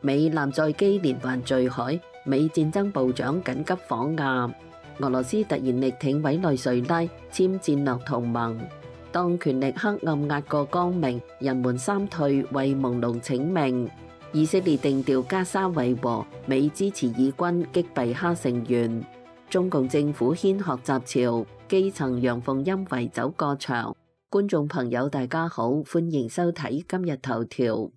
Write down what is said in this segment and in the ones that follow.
美艦載機連環墜海，美戰爭部長緊急訪亞。俄羅斯突然力挺委內瑞拉簽戰略同盟。當權力黑暗壓過光明，人們三退為朦朧請命。以色列定調加沙維和，美支持以軍擊斃哈成員。中共政府掀學習潮，基層陽奉陰違走過場。觀眾朋友大家好，歡迎收睇今日頭條。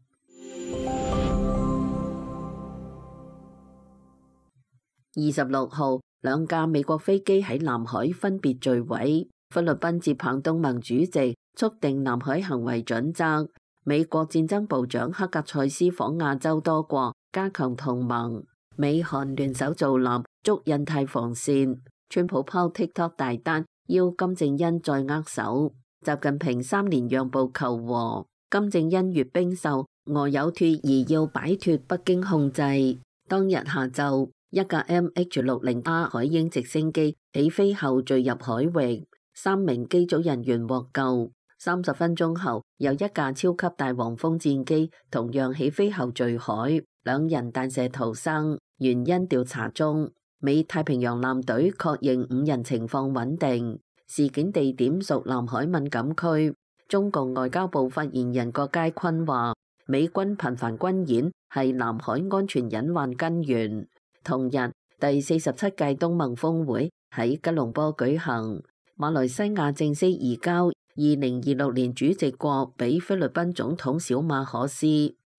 26號，兩架美國飛機喺南海分別墜毀。菲律賓接棒東盟主席，促定南海行為準則。美國戰爭部長克格塞斯訪亞洲多國，加強同盟。美韓聯手造艦，築印太防線。川普拋 TikTok 大單，邀金正恩再握手。習近平3年讓步求和。金正恩閱兵秀，俄有脫而要擺脫北京控制。當日下晝，一架 MH-60A 海鷹直升機起飛後墜入海域，3名機組人員獲救。30分鐘後，有一架超級大黃蜂戰機同樣起飛後墜海，2人彈射逃生，原因調查中。美太平洋艦隊確認5人情況穩定，事件地點屬南海敏感區。中共外交部發言人郭佳坤話，美軍頻繁軍演係南海安全隱患根源。同日，第47屆東盟峰會喺吉隆坡舉行，馬來西亞正式移交2026年主席國俾菲律賓總統小馬可斯。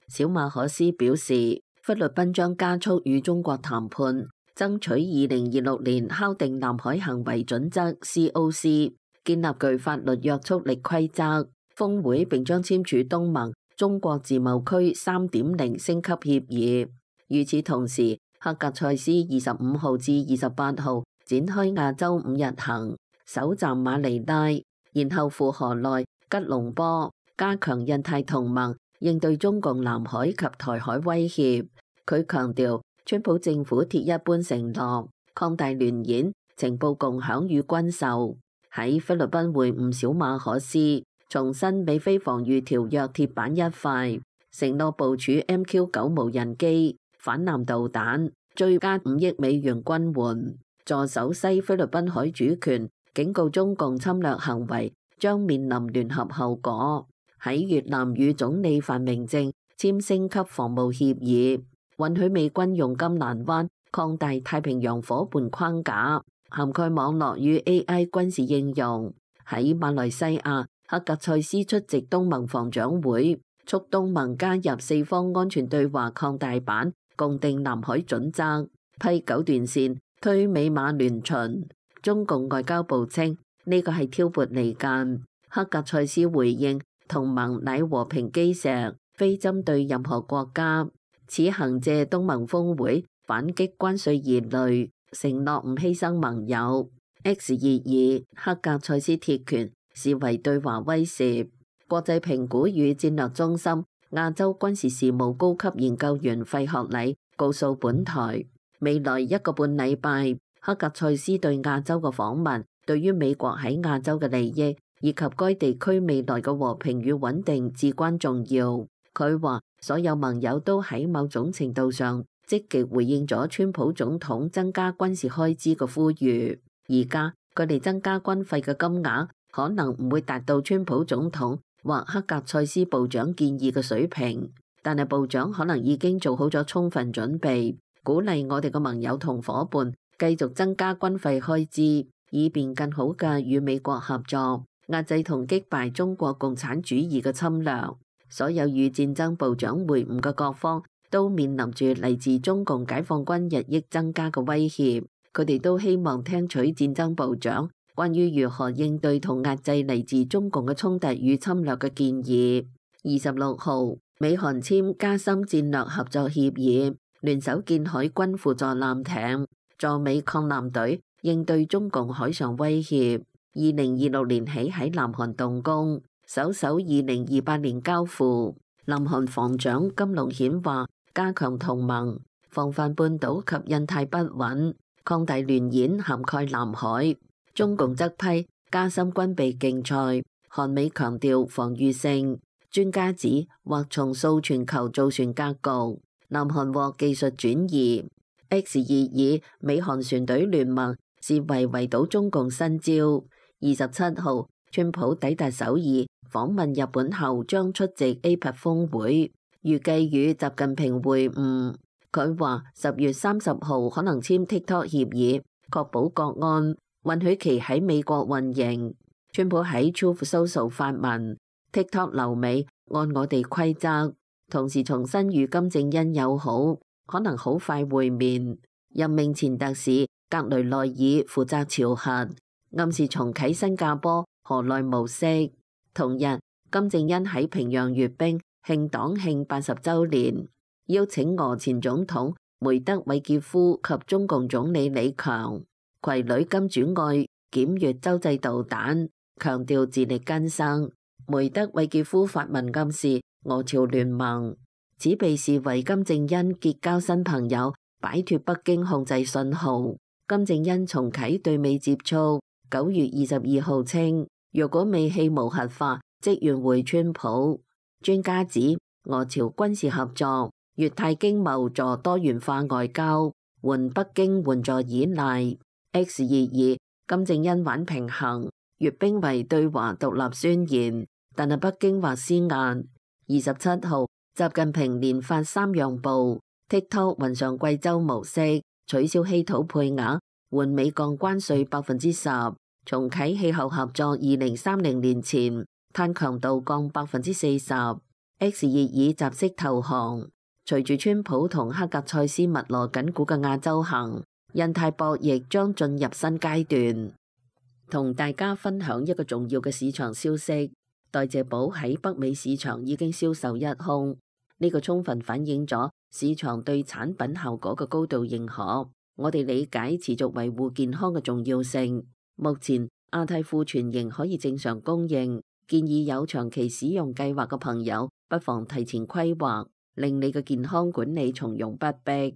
小馬可斯表示，菲律賓將加速與中國談判，爭取2026年敲定南海行為準則 COC， 建立具法律約束力規則。峰會並將簽署東盟中國自貿區 3.0 升級協議。與此同時，克格塞斯25號至28號展開亞洲5日行，首站馬尼拉，然後赴河內、吉隆坡，加強印太同盟，應對中共南海及台海威脅。佢強調，川普政府鐵一般承諾擴大聯演、情報共享與軍售。喺菲律賓會晤小馬可斯，重申美菲防禦條約鐵板一塊，承諾部署 MQ-9 無人機、反艦導彈，追加5億美元軍援，助守西菲律賓海主權，警告中共侵略行為將面臨聯合後果。喺越南與總理范明政簽升級防務協議，允許美軍用金蘭灣擴大太平洋夥伴框架，涵蓋網絡與 AI 軍事應用。喺馬來西亞，克格塞斯出席東盟防長會，促東盟加入四方安全對話擴大版，共定南海準則，批九段線，推美馬聯巡。中共外交部稱呢個係挑撥離間。克格塞斯回應，同盟乃和平基石，非針對任何國家。此行借東盟峰會反擊關稅疑慮，承諾唔犧牲盟友。X22克格塞斯鐵拳視為對華威懾。國際評估與戰略中心亞洲軍事事務高級研究員費學禮告訴本台，未來1個半禮拜，克格塞斯對亞洲嘅訪問，對於美國喺亞洲嘅利益以及該地區未來嘅和平與穩定至關重要。佢話，所有盟友都喺某種程度上積極回應咗川普總統增加軍事開支嘅呼籲。而家佢哋增加軍費嘅金額可能唔會達到川普總統或克格塞斯部長建議嘅水平，但係部長可能已經做好咗充分準備，鼓勵我哋嘅盟友同伙伴繼續增加軍費開支，以便更好嘅與美國合作，壓制同擊敗中國共產主義嘅侵略。所有與戰爭部長會晤嘅各方都面臨住嚟自中共解放軍日益增加嘅威脅，佢哋都希望聽取戰爭部長關於如何應對同壓制嚟自中共嘅衝突與侵略嘅建議。26號，美韓簽加深戰略合作協議，聯手建海軍輔助艦艇，助美抗艦隊應對中共海上威脅。2026年起喺南韓動工，首2028年交付。南韓防長金龍顯話，加強同盟，防範半島及印太不穩，擴大聯演涵蓋南海。中共則批加深軍備競賽，韓美強調防禦性。專家指或重塑全球造船格局。南韓獲技術轉移。X22美韓船隊聯盟視為圍堵中共新招。27號，川普抵達首爾訪問日本後，將出席 APEC 峰會，預計與習近平會晤。佢話10月30號可能簽 TikTok 協議，確保國安，允許其喺美國運營。川普喺 Truth Social 發文 TikTok 留美，按我哋規則，同時重申與金正恩友好，可能好快會面。任命前特使格雷內爾負責朝核，暗示重啟新加坡河內模式。同日，金正恩喺平壤閱兵慶黨慶80週年，邀請俄前總統梅德韋傑夫及中共總理李強攜女金主愛檢閱洲際導彈，強調自力更生。梅德韋傑夫發文暗示俄朝聯盟，此被視為金正恩結交新朋友，擺脫北京控制信號。金正恩重啟對美接觸。9月22號稱，若果美氣無核化，即願會川普。專家指，俄朝軍事合作、越泰經貿助多元化外交，緩北京援助依賴。X22，金正恩玩平衡，閱兵為對華獨立宣言，但係北京或施壓。27號，習近平連發3讓步 ，TikTok 雲上貴州模式，取消稀土配額，換美降關稅10%，重啟氣候合作2030年前碳強度降40%。X22集識投降。隨住川普同克格塞斯密羅緊鼓嘅亞洲行，印太博弈將進入新階段。同大家分享一個重要嘅市場消息，代謝寶喺北美市場已經銷售一空，呢個充分反映咗市場對產品效果嘅高度認可。我哋理解持續維護健康嘅重要性。目前亞太庫存仍可以正常供應，建議有長期使用計劃嘅朋友不妨提前規劃，令你嘅健康管理從容不迫。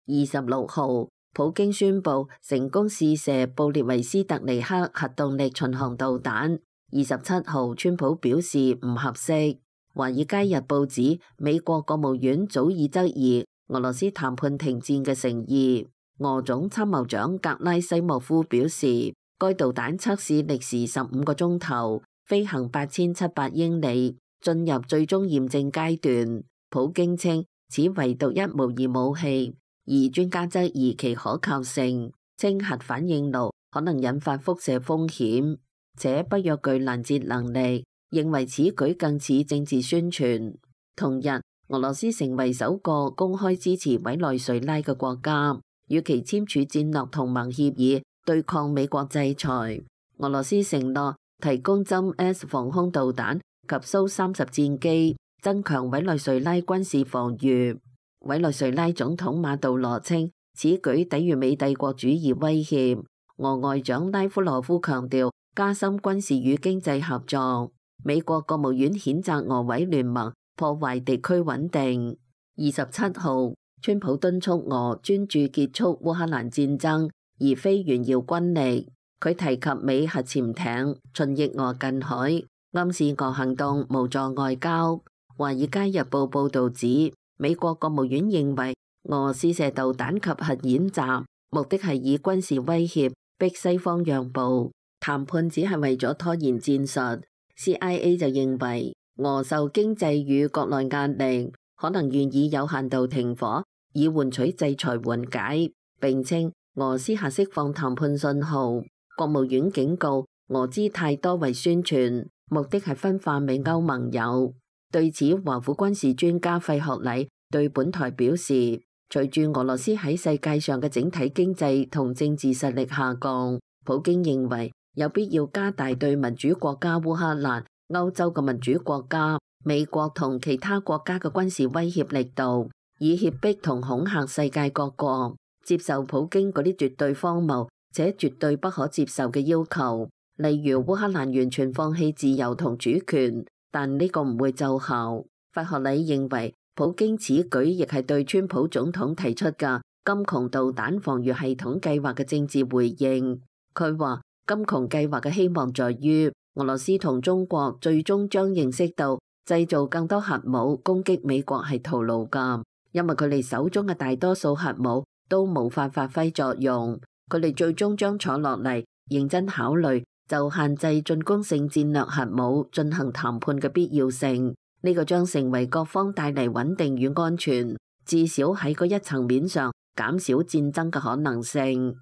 26號，普京宣布成功試射布列維斯特尼克核動力巡航導彈。27號，川普表示唔合適。華爾街日報指，美國國務院早已質疑俄羅斯談判停戰嘅誠意。俄總參謀長格拉西莫夫表示，該導彈測試歷時15個鐘頭，飛行8700英里，進入最終驗證階段。普京稱此唯獨一無二武器，而專家質疑其可靠性，稱核反應爐可能引發輻射風險，且不約具攔截能力，認為此舉更似政治宣傳。同日，俄羅斯成為首個公開支持委內瑞拉嘅國家，與其簽署戰略同盟協議，對抗美國制裁。俄羅斯承諾提供針 S 防空導彈及蘇30戰機，增強委內瑞拉軍事防禦。委內瑞拉總統馬杜羅稱此舉抵禦美帝國主義威脅。俄外長拉夫羅夫強調加深軍事與經濟合作。美國國務院譴責俄委聯盟破壞地區穩定。27號，川普敦促俄專注結束烏克蘭戰爭，而非炫耀軍力。佢提及美核潛艇巡弋俄近海，暗示俄行動無助外交。華爾街日報報導指，美國國務院認為俄試射導彈及核演習，目的係以軍事威脅逼西方讓步，談判只係為咗拖延戰術。CIA 就認為俄受經濟與國內壓力，可能願意有限度停火，以換取制裁緩解。並稱俄私下釋放談判信號。國務院警告俄姿態多為宣傳，目的係分化美歐盟友。對此，華府軍事專家費學禮對本台表示，隨住俄羅斯喺世界上嘅整體經濟同政治實力下降，普京認為有必要加大對民主國家烏克蘭、歐洲嘅民主國家、美國同其他國家嘅軍事威脅力度，以脅迫同恐嚇世界各國接受普京嗰啲絕對荒謬且絕對不可接受嘅要求，例如烏克蘭完全放棄自由同主權。但呢個唔會奏效。費學禮認為，普京此舉亦係對川普總統提出嘅金窮導彈防禦系統計劃嘅政治回應。佢話，金窮計劃嘅希望在於俄羅斯同中國最終將認識到製造更多核武攻擊美國係徒勞㗎，因為佢哋手中嘅大多數核武都無法發揮作用。佢哋最終將坐落嚟認真考慮就限制進攻性戰略核武進行談判嘅必要性。呢個將成為各方帶嚟穩定與安全，至少喺嗰一層面上減少戰爭嘅可能性。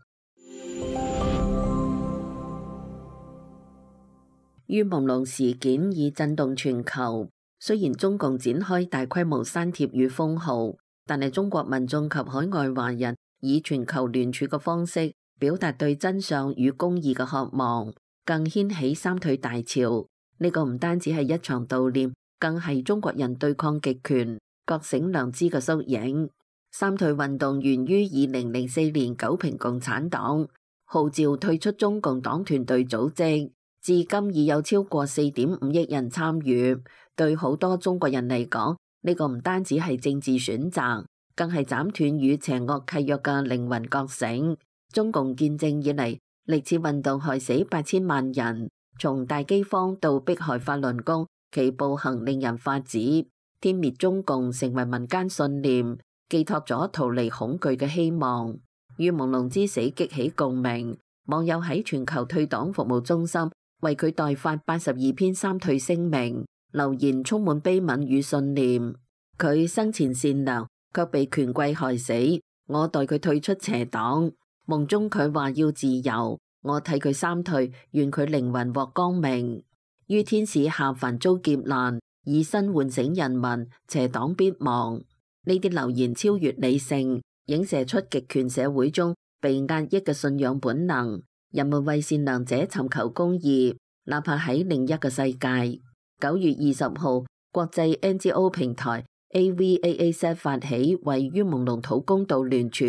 於朦朧事件已震動全球，雖然中共展開大規模刪帖與封號，但係中國民眾及海外華人以全球聯署嘅方式表達對真相與公義嘅渴望，更掀起三退大潮。呢個唔單止係一場悼念，更係中國人對抗極權、覺醒良知嘅縮影。三退運動源於2004年九評共產黨號召退出中共黨團隊組織，至今已有超過4.5億人參與。對好多中國人嚟講，呢個唔單止係政治選擇，更係斬斷與邪惡契約嘅靈魂覺醒。中共建政以嚟，歷次運動害死8000萬人，從大饑荒到迫害法輪功，其暴行令人髮指。殲滅中共成為民間信念，寄託咗逃離恐懼嘅希望。於朦朧之死激起共鳴，網友喺全球退黨服務中心為佢代發82篇三退聲明，留言充滿悲憫與信念。佢生前善良，卻被權貴害死，我代佢退出邪黨。夢中佢話要自由，我替佢三退，願佢靈魂獲光明。於天使下凡遭劫難，以身喚醒人民，邪黨必亡。呢啲留言超越理性，影射出極權社會中被壓抑嘅信仰本能。人們為善良者尋求公義，哪怕喺另一個世界。9月20號，國際 NGO 平台 AVAAZ 發起為於朦朧討公道聯署，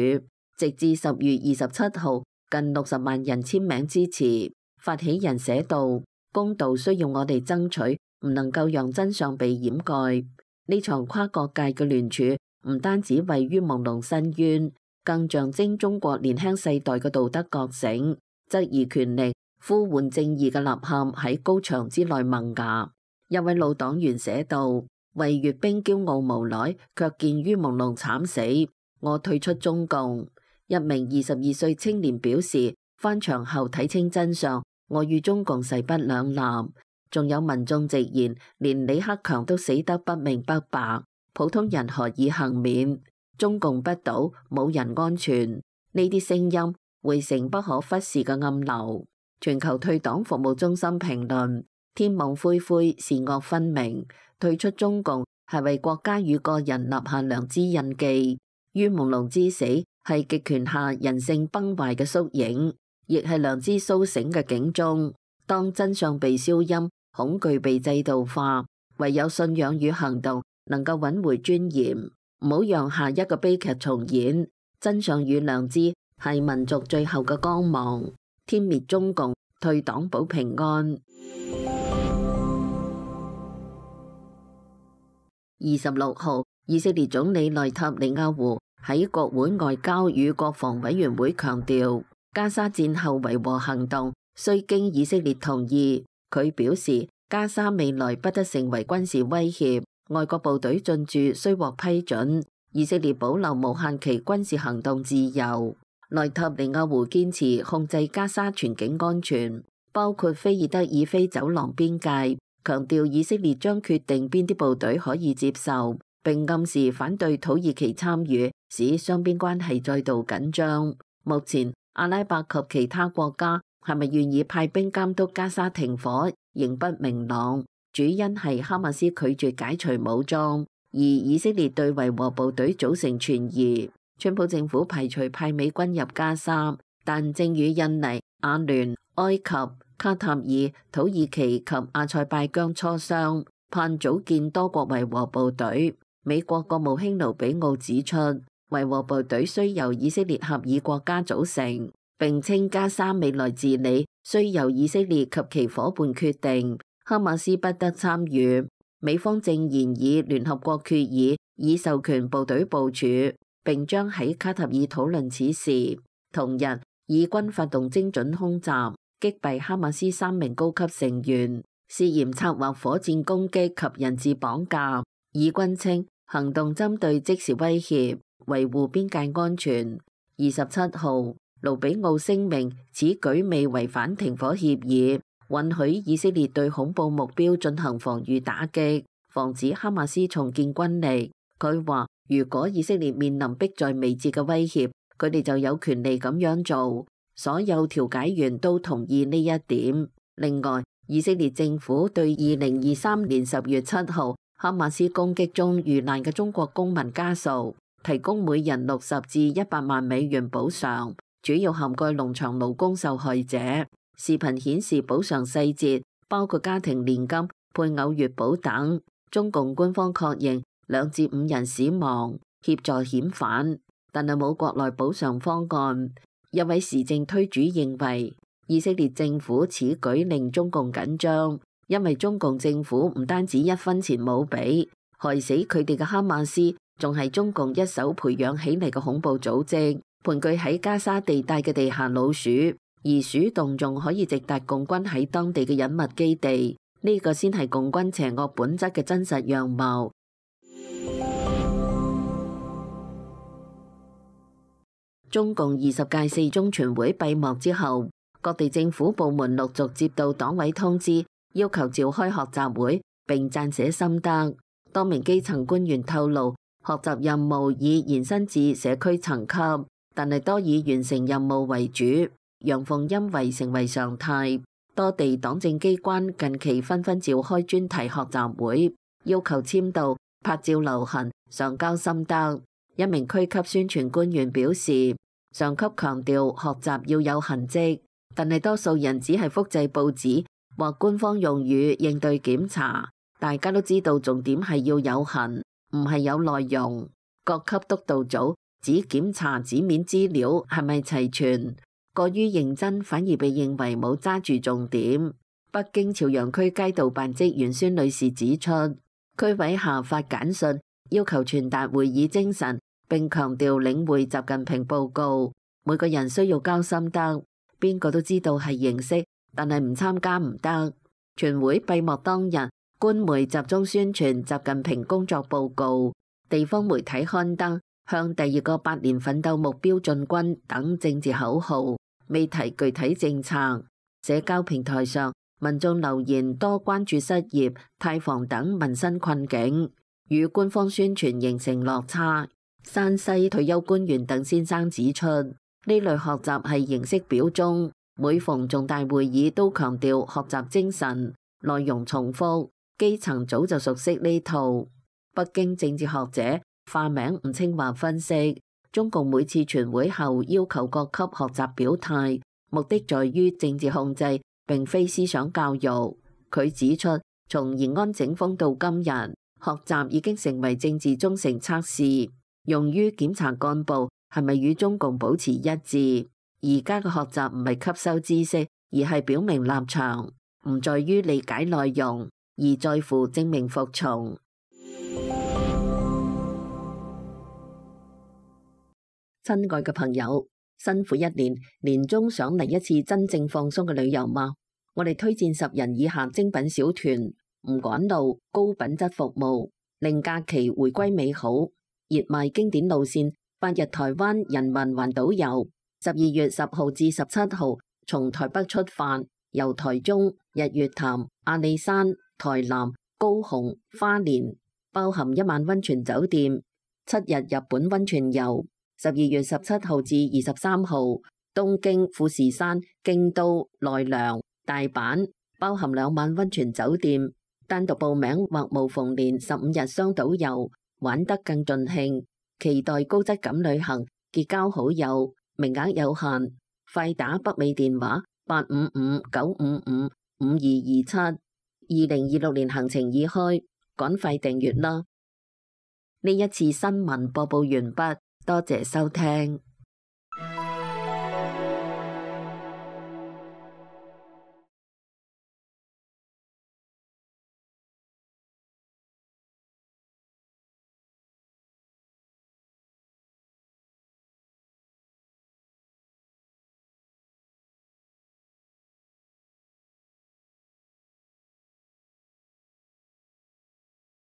直至10月27號，近60萬人簽名支持。發起人寫道：公道需要我哋爭取，唔能夠讓真相被掩蓋。呢場跨國界嘅聯署唔單止為於朦朧申冤，更象徵中國年輕世代嘅道德覺醒，質疑權力、呼喚正義嘅吶喊喺高牆之內萌芽。一位老黨員寫道：為閱兵驕傲無賴，卻見於朦朧慘死，我退出中共。一名22歲青年表示，翻牆後睇清真相，我與中共勢不兩立。仲有民眾直言，連李克強都死得不明不白，普通人何以幸免？中共不倒，冇人安全。呢啲聲音匯成不可忽視嘅暗流。全球退黨服務中心評論：天網恢恢，善惡分明。退出中共係為國家與個人立下良知印記。於朦朧之死係極權下人性崩壞嘅縮影，亦係良知蘇醒嘅警鐘。當真相被消音，恐懼被制度化，唯有信仰與行動能夠揾回尊嚴，唔好讓下一個悲劇重演。真相與良知係民族最後嘅光芒。天滅中共，退黨保平安。26號，以色列總理內塔尼亞胡喺國會外交與國防委員會強調，加沙戰後維和行動需經以色列同意。佢表示，加沙未來不得成為軍事威脅，外國部隊進駐需獲批准，以色列保留無限期軍事行動自由。內塔尼亞胡堅持控制加沙全境安全，包括菲爾德爾菲走廊邊界，強調以色列將決定邊啲部隊可以接受，並暗示反對土耳其參與，使雙邊關係再度緊張。目前，阿拉伯及其他國家係咪願意派兵監督加沙停火，仍不明朗。主因係哈馬斯拒絕解除武裝，而以色列對維和部隊組成存疑。川普政府排除派美軍入加沙，但正與印尼、阿聯、埃及、卡塔爾、土耳其及阿塞拜疆磋商，盼組建多國維和部隊。美國國務卿盧比奧指出，維和部隊須由以色列合議國家組成，並稱加沙未來治理須由以色列及其夥伴決定，哈馬斯不得參與。美方正研議聯合國決議，以授權部隊部署，並將喺卡塔爾討論此事。同日，以軍發動精準空襲，擊斃哈馬斯3名高級成員，涉嫌策劃火箭攻擊及人質綁架。以軍稱行動針對即時威脅，維護邊界安全。27號，盧比奧聲明此舉未違反停火協議，允許以色列對恐怖目標進行防禦打擊，防止哈馬斯重建軍力。佢話如果以色列面臨迫在眉睫嘅威脅，佢哋就有權利咁樣做。所有調解員都同意呢一點。另外，以色列政府對2023年10月7號哈馬斯攻擊中遇難嘅中國公民家屬提供每人60至100萬美元補償，主要涵蓋農場勞工受害者。視頻顯示補償細節包括家庭年金、配偶月補等。中共官方確認2至5人死亡，協助遣返，但係冇國內補償方案。一位時政推主認為，以色列政府此舉令中共緊張，因為中共政府唔單止1分錢冇俾，害死佢哋嘅哈馬斯仲係中共一手培養起嚟嘅恐怖組織，盤踞喺加沙地帶嘅地下老鼠，而鼠洞仲可以直達共軍喺當地嘅隱密基地，呢個先係共軍邪惡本質嘅真實樣貌。中共20屆4中全會閉幕之後，各地政府部門陸續接到黨委通知，要求召開學習會並撰寫心得。多名基層官員透露，學習任務已延伸至社區層級，但係多以完成任務為主，陽奉陰違成為常態。多地黨政機關近期紛紛召開專題學習會，要求簽到、拍照留痕、上交心得。一名區級宣傳官員表示，上級強調學習要有痕跡，但係多數人只係複製報紙或官方用語應對檢查。大家都知道重點係要有痕，唔係有內容。各級督導組只檢查紙面資料係咪齊全，過於認真反而被認為冇揸住重點。北京朝陽區街道辦職員孫女士指出，區委下發簡訊要求傳達會議精神，並強調領會習近平報告，每個人需要交心得。邊個都知道係形式，但係唔參加唔得。全會閉幕當日，官媒集中宣傳習近平工作報告，地方媒體刊登向第2個8年奮鬥目標進軍等政治口號，未提具體政策。社交平台上，民眾留言多關注失業、貸房等民生困境，與官方宣傳形成落差。山西退休官員鄧先生指出，呢類學習係形式表中，每逢重大會議都強調學習精神，內容重複，基層早就熟悉呢套。北京政治學者化名吳清華分析，中共每次全會後要求各級學習表態，目的在於政治控制，並非思想教育。佢指出，從延安整風到今日，學習已經成為政治忠誠測試，用於檢查幹部係咪與中共保持一致。而家嘅學習唔係吸收知識，而係表明立場，唔在於理解內容，而在乎證明服從。親愛嘅朋友，辛苦一年，年終想嚟一次真正放鬆嘅旅遊嗎？我哋推薦10人以下精品小團，唔趕路，高品質服務，令假期回歸美好。熱賣經典路線，8日台灣人民環島遊，12月10號至17號從台北出發，由台中、日月潭、阿里山、台南、高雄、花蓮，包含1晚溫泉酒店，7日日本溫泉遊。12月17號至23號，東京、富士山、京都、奈良、大阪，包含2晚溫泉酒店。單獨報名或無縫連15日雙島遊，玩得更盡興。期待高質感旅行，結交好友，名額有限，快打北美電話855-955-5227。2026年行程已開，趕快訂閱啦！呢一次新聞播報完畢。多謝收聽。